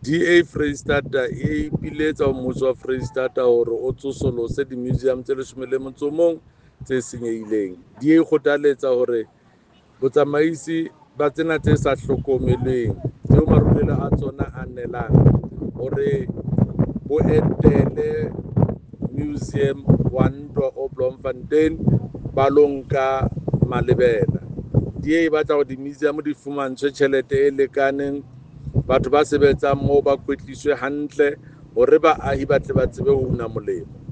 DA Freistata e ipiletsa ho mmuso wa Freistata hore o tsosolose di-museum tse 11 tse senyehileng. DA e kgothaletsa hore botsamaisi ba tsena tse sa hlokomelweng, tseo marulelo a tsona a nelang, hore bo etele Museum wa Ntwa o Bloemfontein ba lo nka malebela. DA e batla hore di-museum di fumantshwe tjhelete e lekaneng, batho ba sebetsang moo ba kwetliswe hantle hore baahi ba tle ba tsebe ho una molemo.